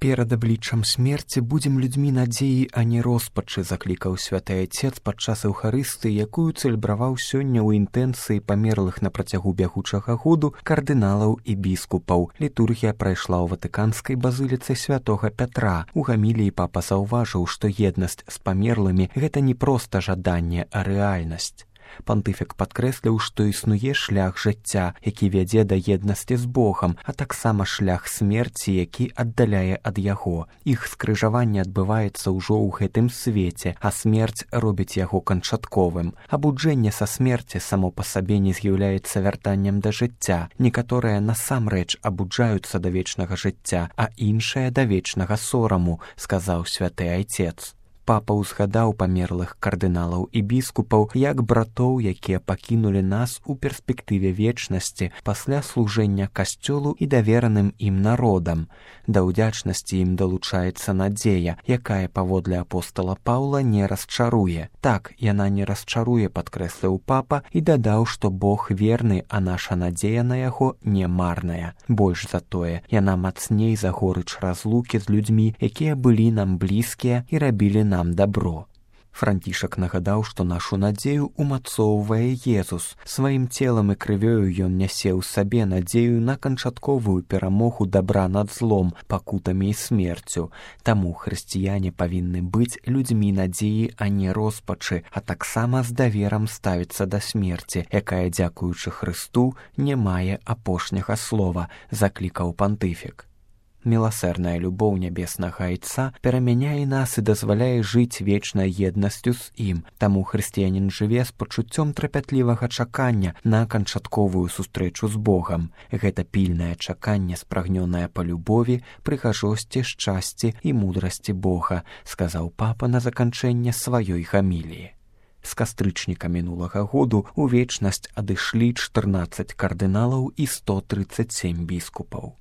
Перад абліччам смерці будзем людзьмі надзеі, а не роспачы, заклікаў святы айцец падчас эўхарыстыі, якую цэлебраваў сёння ў інтэнцыі памерлых на працягу бягучага году кардыналаў і біскупаў. Літургія прайшла ў ватыканскай базыліцы святога Пятра. У гаміліі папа заўважыў, што еднасць з памерлымі – гэта не проста жаданне, а рэальнасць. Пантыфік падкрэсліў, што існуе шлях жыцця, які вядзе да еднасці з Богам, а таксама шлях смерці, які аддаляе ад яго. Іх скрыжаванне адбываецца ўжо ў гэтым свеце, а смерць робіць яго канчатковым. Абуджэнне са смерці само па сабе не з'яўляецца вяртаннем да жыцця. Некаторыя насамрэч абуджаюцца да вечнага жыцця, а іншыя да вечнага сораму, сказаў святы айцец. Папа ўзгадаў памерлых кардыналаў і біскупаў як братоў, якія пакінулі нас у перспектыве вечнасці пасля служэння касцёлу і давераным ім народам. Да ўдзячнасці ім далучаецца надзея, якая, паводле апостала Паўла, не расчаруе. Так, яна не расчаруе, падкрэсліў папа і дадаў, што Бог верны, а наша надзея на яго не марная. Больш за тое, яна мацней за горыч разлукі з людзьмі, якія былі нам блізкія і рабілі нам дабро. Францішак нагадаў, што нашу надзею умацоўвае Езус. Сваім целам і крывёю ён нясе ў сабе надзею на канчатковую перамогу дабра над злом, пакутамі і смерцю. Таму хрысціяне павінны быць людзьмі надзеі, а не роспачы, а таксама з даверам ставіцца да смерці, якая, дзякуючы Хрысту, не мае апошняга слова, заклікаў пантыфік. Міласэрная любоў нябеснага айца перамяняе нас і дазваляе жыць вечнай еднасцю з ім. Таму хрысціянін жыве з пачуццём трапятлівага чакання на канчатковую сустрэчу з Богам. Гэта пільнае чаканне, спрагнёнае па любові, прыгажосці, шчасці і мудрасці Бога, сказаў папа на заканчэнне сваёй гаміліі. З кастрычніка мінулага году ў вечнасць адышлі 14 кардыналаў і 137 біскупаў.